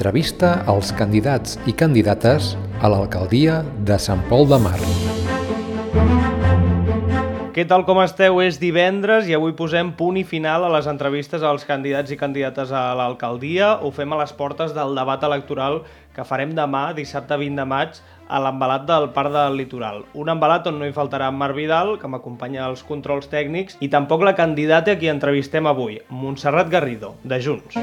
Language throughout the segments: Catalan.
Entrevista als candidats i candidates a l'alcaldia de Sant Pol de Mar. Què tal, com esteu? És divendres i avui posem punt i final a les entrevistes als candidats i candidates a l'alcaldia. Ho fem a les portes del debat electoral que farem demà, dissabte 20 de maig, a l'embalat del Parc del Litoral. Un embalat on no hi faltarà en Marc Vidal, que m'acompanya als controls tècnics, i tampoc la candidata a qui entrevistem avui, Montserrat Garrido, de Junts.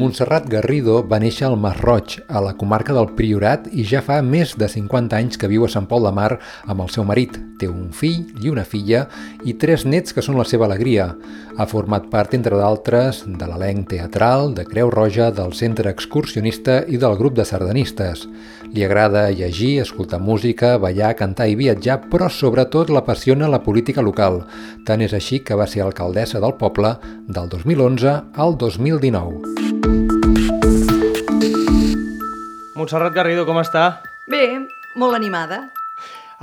Montserrat Garrido va néixer al Masroig, a la comarca del Priorat, i ja fa més de 50 anys que viu a Sant Pol de Mar amb el seu marit. Té un fill i una filla i 3 nets que són la seva alegria. Ha format part, entre d'altres, de l'elenc teatral, de Creu Roja, del Centre Excursionista i del grup de sardanistes. Li agrada llegir, escoltar música, ballar, cantar i viatjar, però sobretot l'apassiona la política local. Tant és així que va ser alcaldessa del poble del 2011 al 2019. Montserrat Garrido, com està? Bé, molt animada.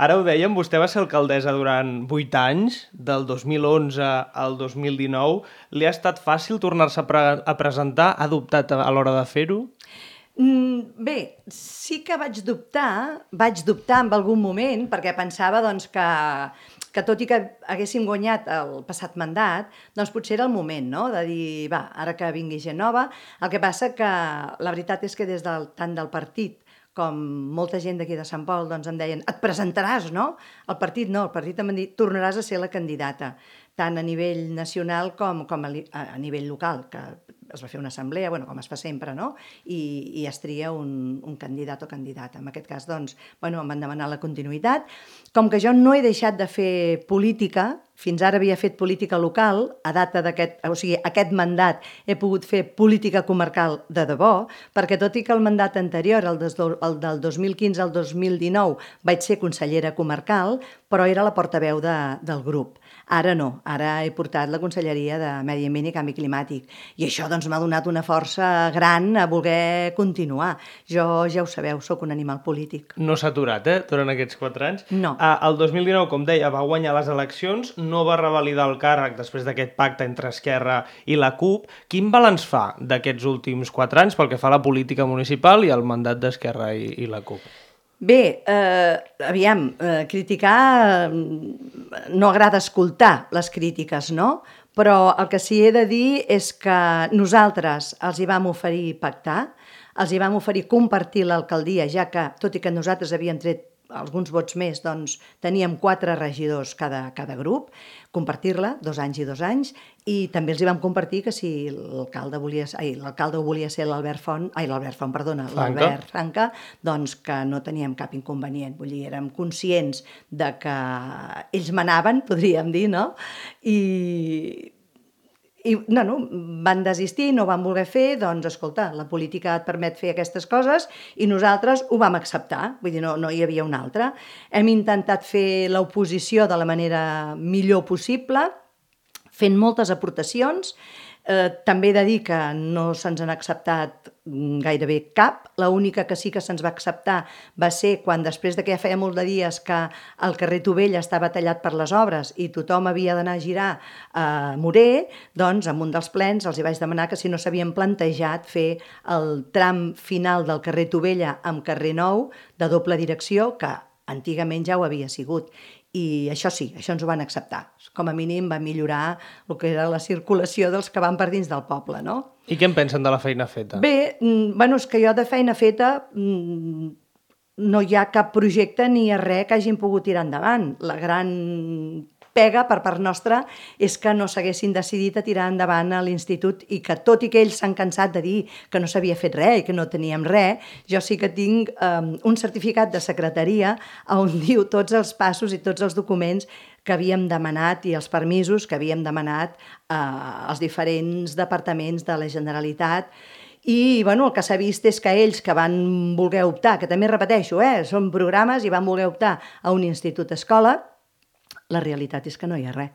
Ara ho dèiem, vostè va ser alcaldessa durant 8 anys, del 2011 al 2019. Li ha estat fàcil tornar-se a presentar? Ha dubtat a l'hora de fer-ho? Bé, sí que vaig dubtar en algun moment, perquè pensava doncs, que tot i que haguéssim guanyat el passat mandat, doncs potser era el moment, no?, de dir, va, ara que vingui gent nova. El que passa que la veritat és que tant del partit com molta gent d'aquí de Sant Pol doncs em deien, et presentaràs, no? El partit no, el partit em va dir, tornaràs a ser la candidata, tant a nivell nacional com a nivell local, que es va fer una assemblea, com es fa sempre, no? I es tria un candidat o candidata. En aquest cas, doncs, em van demanar la continuïtat. Com que jo no he deixat de fer política, fins ara havia fet política local, a data aquest mandat he pogut fer política comarcal de debò, perquè tot i que el mandat anterior, el del 2015 al 2019, vaig ser consellera comarcal, però era la portaveu del grup. Ara no, ara he portat la Conselleria de Medi Ambient i Canvi Climàtic. I això doncs, m'ha donat una força gran a voler continuar. Jo, ja ho sabeu, sóc un animal polític. No s'ha aturat, durant aquests 4 anys? No. El 2019, com deia, va guanyar les eleccions, no va revalidar el càrrec després d'aquest pacte entre Esquerra i la CUP. Quin balanç fa d'aquests últims 4 anys pel que fa a la política municipal i al mandat d'Esquerra i la CUP? Bé, criticar no agrada escoltar les crítiques, no? Però el que sí he de dir és que nosaltres els hi vam oferir pactar, els hi vam oferir compartir l'alcaldia, ja que, tot i que nosaltres havíem tret alguns vots més, doncs teníem 4 regidors cada grup, compartir-la, 2 anys i 2 anys, i també els hi vam compartir que si l'alcalde volia ser l'Albert Franca, doncs que no teníem cap inconvenient. Vull dir, érem conscients de que ells manaven, podríem dir, no? I van desistir, no van voler fer, doncs escolta, la política et permet fer aquestes coses i nosaltres ho vam acceptar, vull dir, no hi havia una altra. Hem intentat fer l'oposició de la manera millor possible, fent moltes aportacions. També he de dir que no se'ns han acceptat gairebé cap. L'única que sí que se'ns va acceptar va ser quan, després de que ja feia molt de dies que el carrer Tovella estava tallat per les obres i tothom havia d'anar a girar a Moré, doncs en un dels plens els hi vaig demanar que si no s'havien plantejat fer el tram final del carrer Tovella amb carrer Nou de doble direcció, que antigament ja ho havia sigut. I això sí, això ens ho van acceptar. Com a mínim va millorar el que era la circulació dels que van per dins del poble, no? I què en pensen de la feina feta? Bé, és que jo de feina feta no hi ha cap projecte ni res que hagin pogut tirar endavant. La gran pega per part nostra és que no s'haguessin decidit a tirar endavant a l'institut i que tot i que ells s'han cansat de dir que no s'havia fet res i que no teníem res, jo sí que tinc un certificat de secretaria on diu tots els passos i tots els documents que havíem demanat i els permisos que havíem demanat als diferents departaments de la Generalitat. I el que s'ha vist és que ells que van voler optar, que també repeteixo, són programes i van voler optar a un institut-escola, la realitat és que no hi ha res.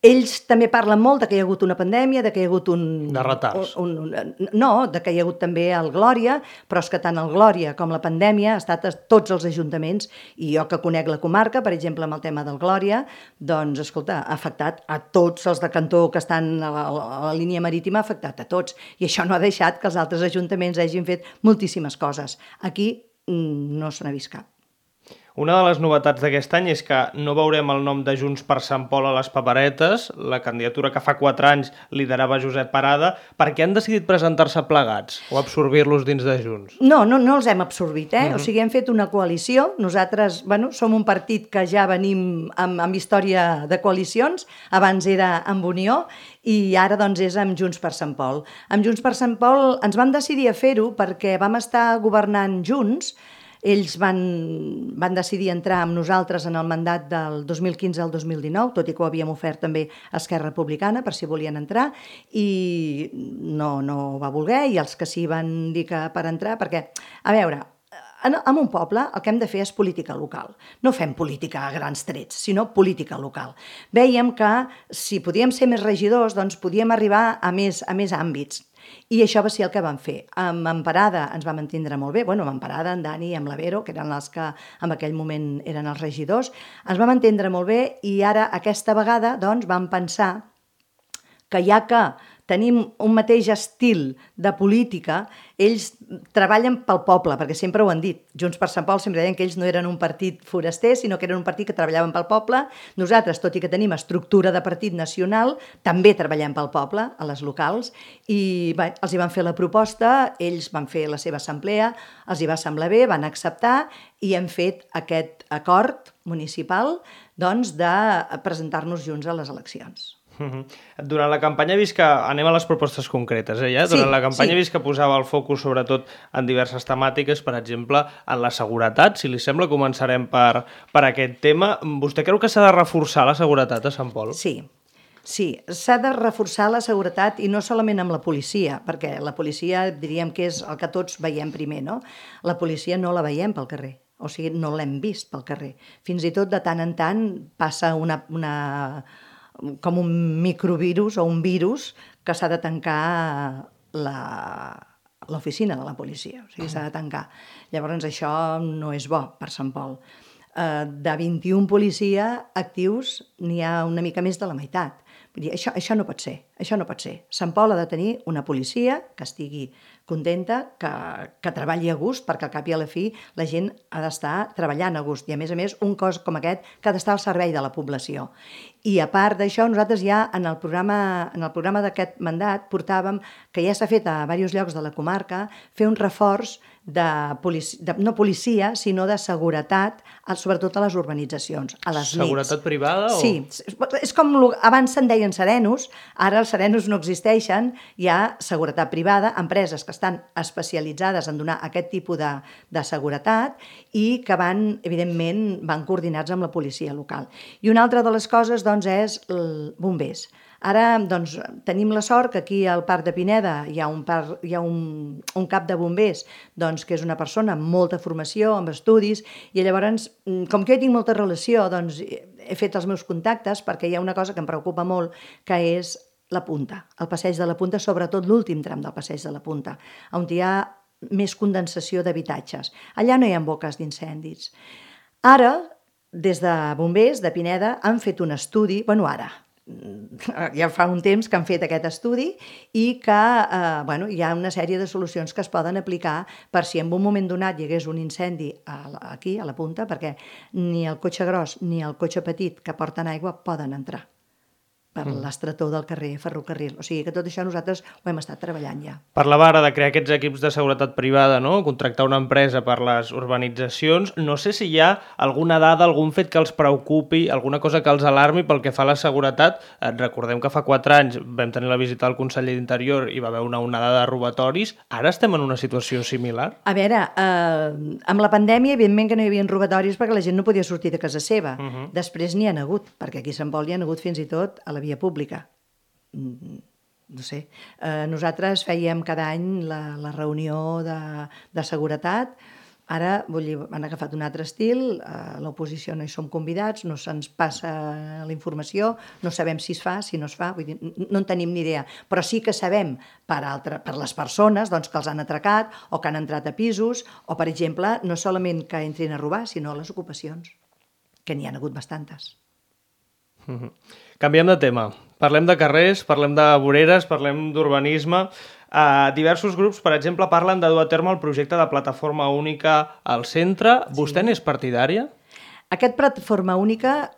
Ells també parlen molt de que hi ha hagut una pandèmia, de que hi ha hagut De retards. No, de que hi ha hagut també el Glòria, però és que tant el Glòria com la pandèmia ha estat a tots els ajuntaments, i jo que conec la comarca, per exemple, amb el tema del Glòria, doncs, escolta, ha afectat a tots els de cantó que estan a la línia marítima, ha afectat a tots, i això no ha deixat que els altres ajuntaments hagin fet moltíssimes coses. Aquí no se n'ha vist cap. Una de les novetats d'aquest any és que no veurem el nom de Junts per Sant Pol a les paperetes, la candidatura que fa 4 anys liderava Josep Parada. Per què han decidit presentar-se plegats o absorbir-los dins de Junts? No els hem absorbit, O sigui, hem fet una coalició. Nosaltres, som un partit que ja venim amb història de coalicions. Abans era amb Unió i ara, doncs, és amb Junts per Sant Pol. Amb Junts per Sant Pol ens vam decidir a fer-ho perquè vam estar governant junts. Ells van decidir entrar amb nosaltres en el mandat del 2015 al 2019, tot i que ho havíem ofert també a Esquerra Republicana per si volien entrar, i no va voler, i els que sí van dir que per entrar, perquè, a veure, en un poble el que hem de fer és política local. No fem política a grans trets, sinó política local. Vèiem que si podíem ser més regidors, doncs podíem arribar a més àmbits. I això va ser el que vam fer. Amb Parada ens vam entendre molt bé, amb Parada, en Dani i amb la Vero, que eren els que en aquell moment eren els regidors, ens vam entendre molt bé, i ara aquesta vegada doncs vam pensar que ja que tenim un mateix estil de política, ells treballen pel poble, perquè sempre ho han dit. Junts per Sant Pol sempre deien que ells no eren un partit foraster, sinó que eren un partit que treballaven pel poble. Nosaltres, tot i que tenim estructura de partit nacional, també treballem pel poble, a les locals, i els hi van fer la proposta, ells van fer la seva assemblea, els hi va semblar bé, van acceptar, i hem fet aquest acord municipal doncs, de presentar-nos junts a les eleccions. Durant la campanya he vist que... Anem a les propostes concretes, ja? Durant la campanya he vist que posava el focus sobretot en diverses temàtiques, per exemple, en la seguretat. Si li sembla, començarem per aquest tema. Vostè creu que s'ha de reforçar la seguretat a Sant Pol? Sí, s'ha de reforçar la seguretat, i no solament amb la policia, perquè la policia diríem que és el que tots veiem primer, no? La policia no la veiem pel carrer, o sigui, no l'hem vist pel carrer. Fins i tot de tant en tant passa com un microvirus o un virus que s'ha de tancar l'oficina de la policia, o sigui, s'ha de tancar. Llavors això no és bo per Sant Pol. De 21 policia actius n'hi ha una mica més de la meitat. Vull dir, això no pot ser, això no pot ser. Sant Pol ha de tenir una policia que estigui contenta, que treballi a gust, perquè al cap i a la fi la gent ha d'estar treballant a gust, i a més un cos com aquest que ha d'estar al servei de la població. I a part d'això, nosaltres ja en el programa d'aquest mandat portàvem, que ja s'ha fet a diversos llocs de la comarca, fer un reforç no policia, sinó de seguretat, sobretot a les urbanitzacions, a les nits. Seguretat privada? Sí, és com abans se'n deien serenos, ara els serenos no existeixen, hi ha seguretat privada, empreses que estan especialitzades en donar aquest tipus de seguretat i que evidentment, van coordinats amb la policia local. I una altra de les coses, doncs, és els bombers. Ara, doncs, tenim la sort que aquí al Parc de Pineda hi ha un cap de bombers, doncs, que és una persona amb molta formació, amb estudis, i llavors, com que jo tinc molta relació, doncs, he fet els meus contactes, perquè hi ha una cosa que em preocupa molt, que és la Punta, el passeig de la Punta, sobretot l'últim tram del passeig de la Punta, on hi ha més condensació d'habitatges. Allà no hi ha boques d'incendis. Ara, des de bombers de Pineda, han fet un estudi, ja fa un temps que han fet aquest estudi, i que hi ha una sèrie de solucions que es poden aplicar per si en un moment donat hi hagués un incendi aquí, a la Punta, perquè ni el cotxe gros ni el cotxe petit que porten aigua poden entrar per l'estretor del carrer Ferrocarril. O sigui que tot això nosaltres ho hem estat treballant ja. Parlava ara de crear aquests equips de seguretat privada, no? Contractar una empresa per les urbanitzacions. No sé si hi ha alguna dada, algun fet que els preocupi, alguna cosa que els alarmi pel que fa a la seguretat. Recordem que fa 4 anys vam tenir la visita del conseller d'Interior i va haver una onada de robatoris. Ara estem en una situació similar? A veure, amb la pandèmia, evidentment que no hi havia robatoris perquè la gent no podia sortir de casa seva. Després n'hi ha hagut, perquè aquí a Sant Pol hi ha hagut fins i tot a la via pública. No sé. Nosaltres fèiem cada any la reunió de seguretat. Ara, vull dir, han agafat un altre estil, a l'oposició no hi som convidats, no se'ns passa la informació, no sabem si es fa, si no es fa, vull dir, no en tenim ni idea. Però sí que sabem per les persones doncs, que els han atracat o que han entrat a pisos, o, per exemple, no solament que entrin a robar, sinó les ocupacions, que n'hi ha hagut bastantes. Canviem de tema. Parlem de carrers, parlem de voreres, parlem d'urbanisme. Diversos grups, per exemple, parlen de dur a terme el projecte de plataforma única al centre. Vostè n'és partidària? Aquest plataforma única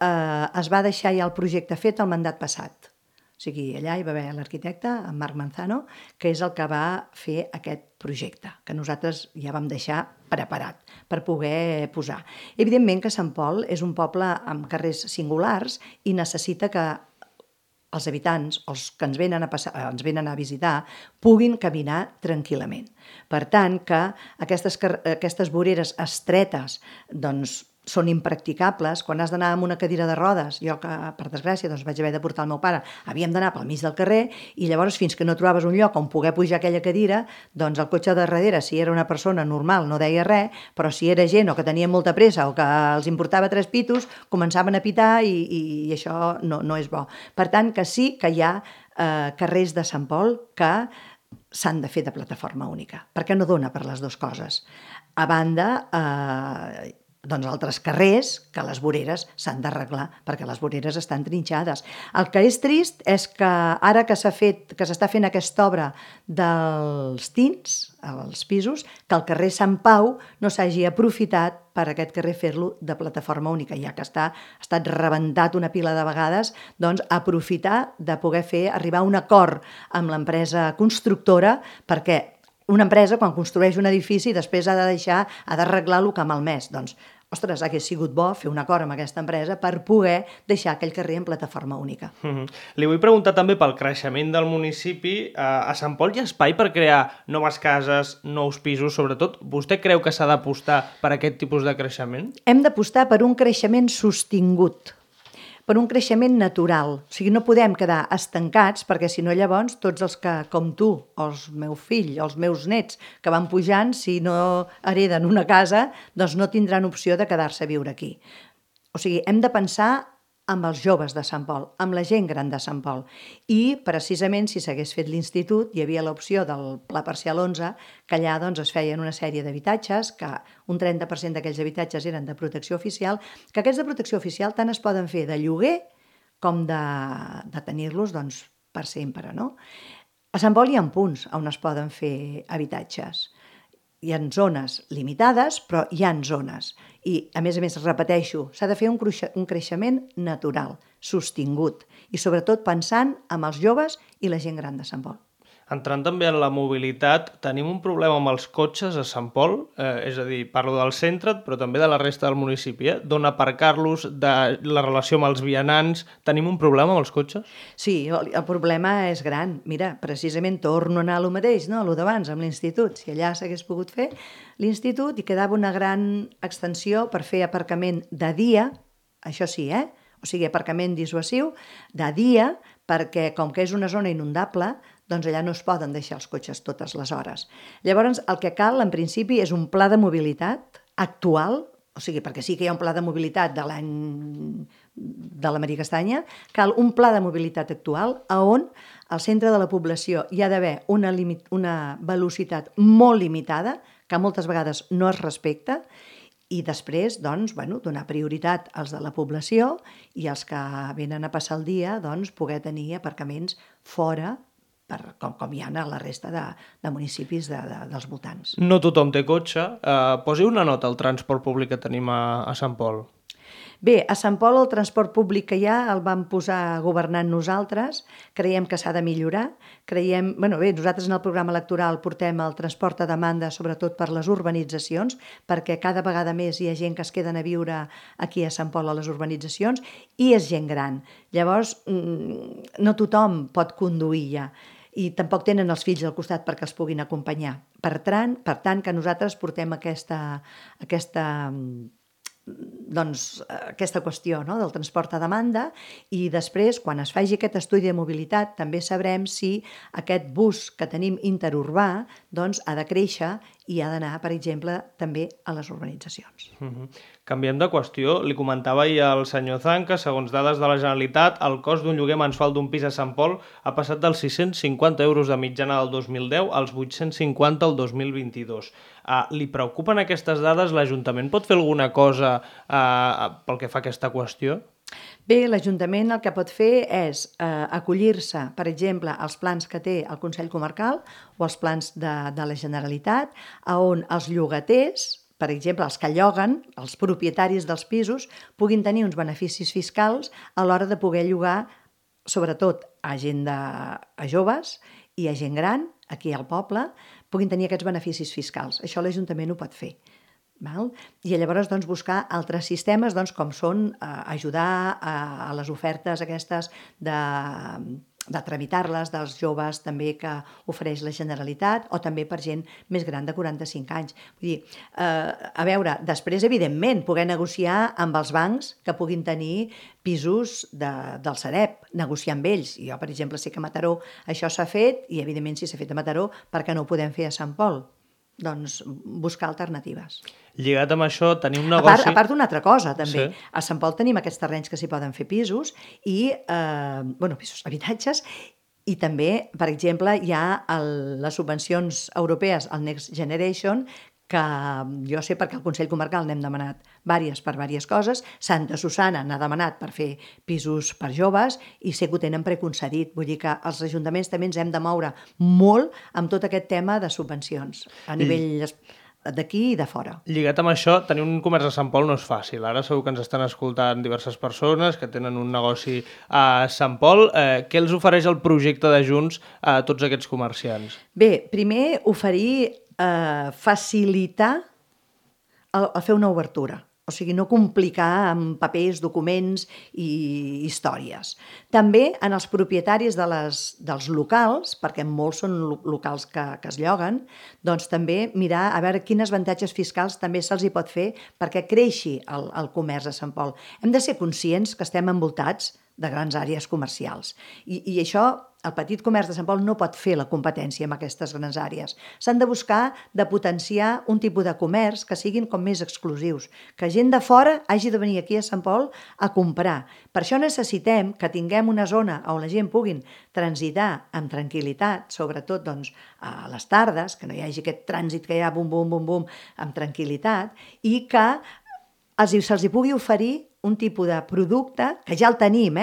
es va deixar ja el projecte fet el mandat passat. O sigui, allà hi va haver l'arquitecte, en Marc Manzano, que és el que va fer aquest projecte, que nosaltres ja vam deixar preparat per poder posar. Evidentment que Sant Pol és un poble amb carrers singulars i necessita que els habitants, els que ens venen a visitar, puguin caminar tranquil·lament. Per tant, que aquestes voreres estretes doncs, són impracticables. Quan has d'anar amb una cadira de rodes, jo que, per desgràcia, doncs vaig haver de portar el meu pare, havíem d'anar pel mig del carrer i llavors fins que no trobaves un lloc on poder pujar aquella cadira, doncs el cotxe de darrere, si era una persona normal, no deia res, però si era gent o que tenia molta pressa o que els importava 3 pitos, començaven a pitar i això no és bo. Per tant, que sí que hi ha carrers de Sant Pol que s'han de fer de plataforma única, perquè no dona per les dues coses. A banda, doncs altres carrers que les voreres s'han d'arreglar perquè les voreres estan trinxades. El que és trist és que ara que s'està fent aquesta obra dels tins, als pisos, que el carrer Sant Pau no s'hagi aprofitat per aquest carrer fer-lo de plataforma única, ja que ha estat rebentat una pila de vegades, doncs aprofitar de poder arribar a un acord amb l'empresa constructora, perquè una empresa, quan construeix un edifici, després ha d'arreglar el que ha malmès. Doncs, ostres, hagués sigut bo fer un acord amb aquesta empresa per poder deixar aquell carrer en plataforma única. Li vull preguntar també pel creixement del municipi. A Sant Pol hi ha espai per crear noves cases, nous pisos, sobretot? Vostè creu que s'ha d'apostar per aquest tipus de creixement? Hem d'apostar per un creixement sostingut, per un creixement natural. O sigui, no podem quedar estancats, perquè si no llavors tots els que, com tu, o el meu fill, o els meus nets, que van pujant, si no hereden una casa, doncs no tindran opció de quedar-se a viure aquí. O sigui, hem de pensar amb els joves de Sant Pol, amb la gent gran de Sant Pol. I, precisament, si s'hagués fet l'institut, hi havia l'opció del Pla Parcial 11, que allà doncs, es feien una sèrie d'habitatges, que un 30% d'aquells habitatges eren de protecció oficial, que aquests de protecció oficial tant es poden fer de lloguer com de tenir-los doncs, per sempre. No? A Sant Pol hi ha punts on es poden fer habitatges. Hi ha zones limitades, però hi ha zones. I, a més, repeteixo, s'ha de fer un creixement natural, sostingut, i sobretot pensant en els joves i la gent gran de Sant Pol. Entrant també en la mobilitat, tenim un problema amb els cotxes a Sant Pol, és a dir, parlo del centre, però també de la resta del municipi, d'on aparcar-los, de la relació amb els vianants. Tenim un problema amb els cotxes? Sí, el problema és gran. Mira, precisament torno a anar a lo mateix, no? A lo d'abans, amb l'institut. Si allà s'hagués pogut fer l'institut i quedava una gran extensió per fer aparcament de dia, això sí, o sigui, aparcament dissuasiu, de dia, perquè com que és una zona inundable, doncs allà no es poden deixar els cotxes totes les hores. Llavors, el que cal, en principi, és un pla de mobilitat actual, o sigui, perquè sí que hi ha un pla de mobilitat de l'any de la Maria Castanya, cal un pla de mobilitat actual on al centre de la població hi ha d'haver una velocitat molt limitada, que moltes vegades no es respecta, i després, doncs, donar prioritat als de la població i els que venen a passar el dia, doncs, poder tenir aparcaments fora, com hi ha a la resta de municipis dels voltants. No tothom té cotxe. Posi una nota al transport públic que tenim a Sant Pol. Bé, a Sant Pol el transport públic que hi ha el vam posar governant nosaltres, creiem que s'ha de millorar, nosaltres en el programa electoral portem el transport a demanda sobretot per les urbanitzacions, perquè cada vegada més hi ha gent que es queden a viure aquí a Sant Pol a les urbanitzacions i és gent gran. Llavors, no tothom pot conduir ja i tampoc tenen els fills al costat perquè els puguin acompanyar. Per tant, que nosaltres portem aquesta qüestió, no?, del transport a demanda, i després, quan es faci aquest estudi de mobilitat, també sabrem si aquest bus que tenim interurbà doncs, ha de créixer i ha d'anar, per exemple, també a les urbanitzacions. Canviem de qüestió. Li comentava ahir al senyor Zan que, segons dades de la Generalitat, el cost d'un lloguer mensual d'un pis a Sant Pol ha passat dels 650 euros de mitjana del 2010 als 850 el 2022. Li preocupen aquestes dades? L'Ajuntament pot fer alguna cosa pel que fa a aquesta qüestió? Bé, l'Ajuntament el que pot fer és acollir-se, per exemple, als plans que té el Consell Comarcal o als plans de la Generalitat, on els llogaters, per exemple, els que lloguen, els propietaris dels pisos, puguin tenir uns beneficis fiscals a l'hora de poder llogar, sobretot a joves i a gent gran, aquí al poble, puguin tenir aquests beneficis fiscals. Això l'Ajuntament ho pot fer. I llavors buscar altres sistemes com són ajudar a les ofertes aquestes de tramitar-les dels joves també que ofereix la Generalitat o també per gent més gran de 45 anys. Vull dir, a veure, després, evidentment, poder negociar amb els bancs que puguin tenir pisos del Sareb, negociar amb ells. Jo, per exemple, sé que a Mataró això s'ha fet i, evidentment, si s'ha fet a Mataró, per què no ho podem fer a Sant Pol? Doncs buscar alternatives. Lligat amb això, tenim un negoci... A part d'una altra cosa, també. Sí. A Sant Pol tenim aquests terrenys que s'hi poden fer pisos i, pisos, habitatges, i també, per exemple, hi ha les subvencions europees, el Next Generation, que jo sé perquè al Consell Comarcal n'hem demanat per diverses coses. Santa Susana n'ha demanat per fer pisos per joves i sé que ho tenen preconcedit. Vull dir que els ajuntaments també ens hem de moure molt amb tot aquest tema de subvencions a nivell d'aquí i de fora. Lligat amb això, tenir un comerç a Sant Pol no és fàcil. Ara segur que ens estan escoltant diverses persones que tenen un negoci a Sant Pol. Què els ofereix el projecte de Junts a tots aquests comerciants? Bé, primer oferir facilitar a fer una obertura. O sigui, no complicar amb papers, documents i històries. També en els propietaris dels locals, perquè molts són locals que es lloguen, doncs també mirar a veure quins avantatges fiscals també se'ls hi pot fer perquè creixi el comerç a Sant Pol. Hem de ser conscients que estem envoltats de grans àrees comercials. I això, el petit comerç de Sant Pol no pot fer la competència amb aquestes grans àrees. S'han de buscar de potenciar un tipus de comerç que siguin com més exclusius, que gent de fora hagi de venir aquí a Sant Pol a comprar. Per això necessitem que tinguem una zona on la gent puguin transitar amb tranquil·litat, sobretot a les tardes, que no hi hagi aquest trànsit que hi ha bum, bum, bum, bum, amb tranquil·litat, i que se'ls pugui oferir un tipus de producte que ja el tenim,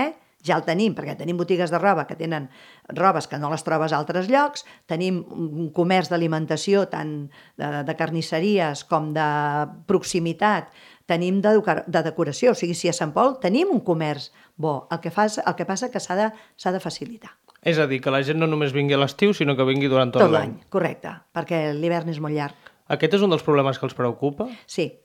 ja el tenim, perquè tenim botigues de roba que tenen robes que no les trobes a altres llocs, tenim un comerç d'alimentació tant de carnisseries com de proximitat, tenim de decoració, o sigui, si a Sant Pol tenim un comerç bo, el que passa que s'ha de facilitar. És a dir, que la gent no només vingui a l'estiu, sinó que vingui durant tot l'any. Correcte, perquè l'hivern és molt llarg. Aquest és un dels problemes que els preocupa? Sí.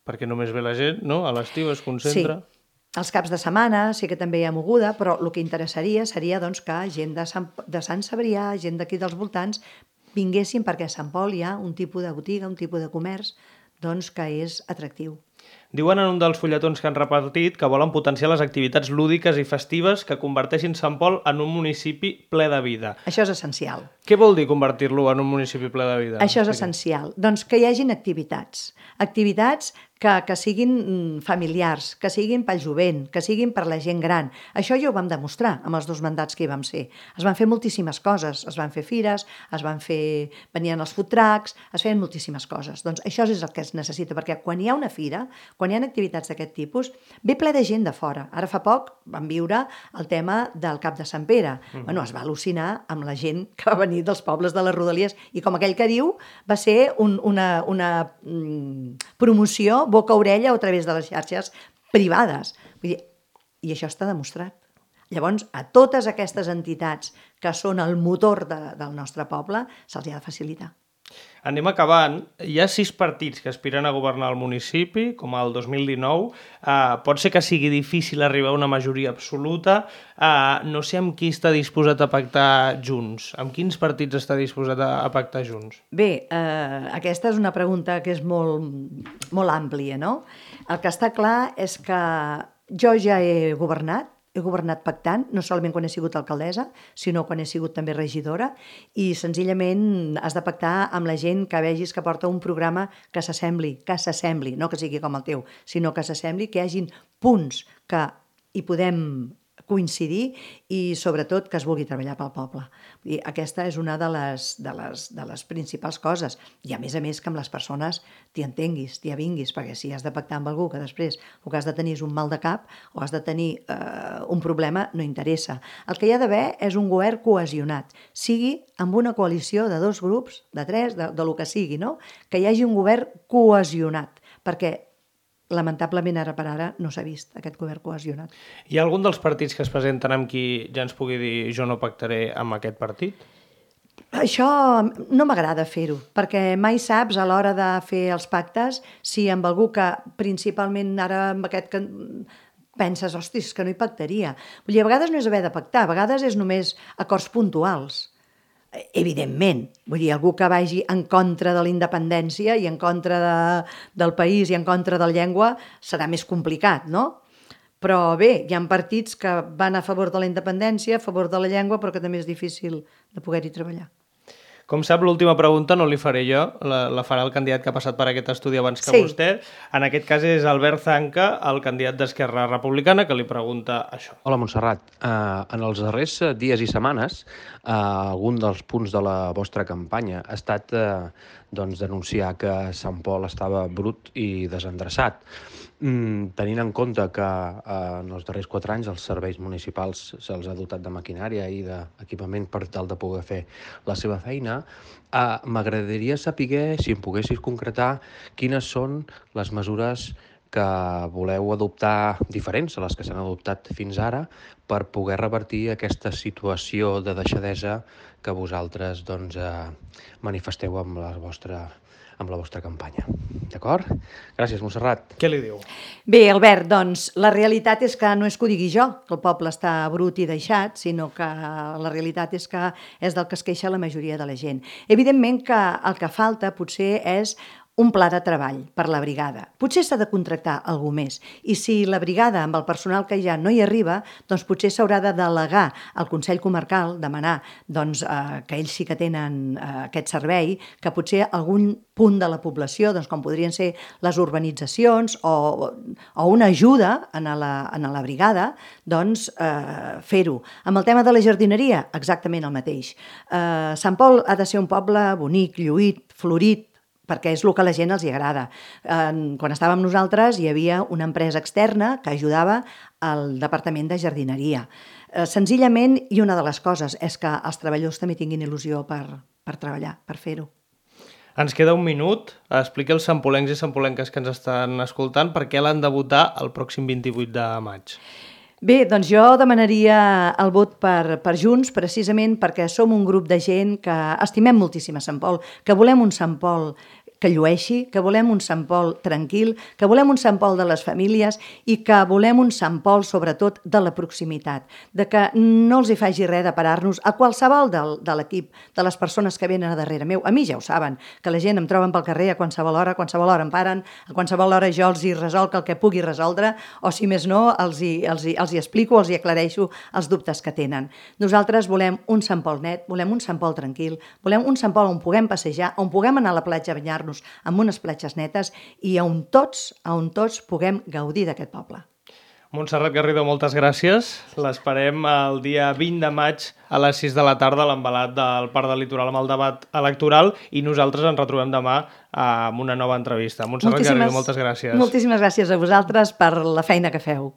Perquè només ve la gent, no? A l'estiu es concentra. Sí. Els caps de setmana sí que també hi ha moguda, però el que interessaria seria que gent de Sant Cebrià, gent d'aquí dels voltants, vinguessin perquè a Sant Pol hi ha un tipus de botiga, un tipus de comerç que és atractiu. Diuen en un dels fulletons que han repartit que volen potenciar les activitats lúdiques i festives que converteixin Sant Pol en un municipi ple de vida. Això és essencial. Què vol dir convertir-lo en un municipi ple de vida? Això és essencial. Doncs que hi hagin activitats. Activitats que siguin familiars, que siguin pel jovent, que siguin per la gent gran. Això ja ho vam demostrar amb els 2 mandats que hi vam ser. Es van fer moltíssimes coses. Es van fer fires, venien els food trucks, es feien moltíssimes coses. Doncs això és el que es necessita, perquè quan hi ha una fira, quan hi ha activitats d'aquest tipus, ve ple de gent de fora. Ara fa poc vam viure el tema del Cap de Sant Pere. Es va al·lucinar amb la gent que va venir dels pobles de les Rodalies i, com aquell que diu, va ser una promoció boca-orella a través de les xarxes privades. Vull dir, i això està demostrat. Llavors, a totes aquestes entitats que són el motor del nostre poble, se'ls ha de facilitar. Anem acabant. Hi ha 6 partits que aspiren a governar el municipi, com el 2019. Pot ser que sigui difícil arribar a una majoria absoluta. No sé amb qui està disposat a pactar Junts. Amb quins partits està disposat a pactar Junts? Bé, aquesta és una pregunta que és molt àmplia, no? El que està clar és que jo ja he governat, he governat pactant, no solament quan he sigut alcaldessa, sinó quan he sigut també regidora, i senzillament has de pactar amb la gent que vegis que porta un programa que s'assembli, no que sigui com el teu, sinó que s'assembli, que hi hagin punts que hi podem coincidir i sobretot que es vulgui treballar pel poble. I aquesta és una de les principals coses. I a més que amb les persones t'hi entenguis, t'hi avinguis, perquè si has de pactar amb algú que després el que has de tenir és un mal de cap o has de tenir un problema, no interessa. El que hi ha d'haver és un govern cohesionat, sigui amb una coalició de 2 grups, de 3, de lo que sigui, no? Que hi hagi un govern cohesionat, perquè lamentablement ara per ara no s'ha vist aquest govern cohesionat. Hi ha algun dels partits que es presenten amb qui ja ens pugui dir jo no pactaré amb aquest partit? Això no m'agrada fer-ho, perquè mai saps a l'hora de fer els pactes si amb algú que principalment ara amb aquest que penses, hòstia, és que no hi pactaria. Vull dir, a vegades no és haver de pactar, a vegades és només acords puntuals. Evidentment, vull dir, algú que vagi en contra de la independència i en contra del país i en contra de la llengua serà més complicat, no? Però bé, hi ha partits que van a favor de la independència, a favor de la llengua, però que també és difícil de poder-hi treballar. Com sap, l'última pregunta no li faré jo, la farà el candidat que ha passat per aquest estudi abans que vostè. En aquest cas és Albert Zanca, el candidat d'Esquerra Republicana, que li pregunta això. Hola, Montserrat. En els darrers dies i setmanes, algun dels punts de la vostra campanya ha estat denunciar que Sant Pol estava brut i desendreçat. Tenint en compte que en els darrers 4 anys els serveis municipals se'ls ha dotat de maquinària i d'equipament per tal de poder fer la seva feina, m'agradaria saber, si em poguessis concretar, quines són les mesures que voleu adoptar diferents a les que s'han adoptat fins ara per poder revertir aquesta situació de deixadesa que vosaltres manifesteu amb la vostra campanya. D'acord? Gràcies, Montserrat. Què li diu? Bé, Albert, doncs la realitat és que no és que ho digui jo, que el poble està brut i deixat, sinó que la realitat és que és del que es queixa la majoria de la gent. Evidentment que el que falta potser és un pla de treball per la brigada. Potser s'ha de contractar algú més. I si la brigada, amb el personal que ja no hi arriba, doncs potser s'haurà de delegar al Consell Comarcal, demanar que ells sí que tenen aquest servei, que potser algun punt de la població, com podrien ser les urbanitzacions o una ajuda a la brigada, fer-ho. Amb el tema de la jardineria, exactament el mateix. Sant Pol ha de ser un poble bonic, lluït, florit, perquè és el que a la gent els agrada. Quan estàvem nosaltres hi havia una empresa externa que ajudava al Departament de Jardineria. Senzillament, i una de les coses és que els treballadors també tinguin il·lusió per treballar, per fer-ho. Ens queda un minut. Expliqui als sampolencs i sampolenques que ens estan escoltant per què l'han de votar el pròxim 28 de maig. Bé, doncs jo demanaria el vot per Junts, precisament perquè som un grup de gent que estimem moltíssim a Sant Pol, que volem un Sant Pol que llueixi, que volem un Sant Pol tranquil, que volem un Sant Pol de les famílies i que volem un Sant Pol, sobretot, de la proximitat, de que no els hi faci res de parar-nos a qualsevol de l'equip, de les persones que venen a darrere meu. A mi ja ho saben, que la gent em troben pel carrer a qualsevol hora em paren, a qualsevol hora jo els hi resolc el que pugui resoldre, o si més no, els hi explico, els hi aclareixo els dubtes que tenen. Nosaltres volem un Sant Pol net, volem un Sant Pol tranquil, volem un Sant Pol on puguem passejar, on puguem anar a la platja a banyar-nos amb unes platges netes i on tots puguem gaudir d'aquest poble. Montserrat Garrido, moltes gràcies. L'esperem el dia 20 de maig a les 6 de la tarda a l'embalat del Parc del Litoral amb el debat electoral i nosaltres ens retrobem demà amb una nova entrevista. Montserrat Garrido, moltes gràcies. Moltíssimes gràcies a vosaltres per la feina que feu.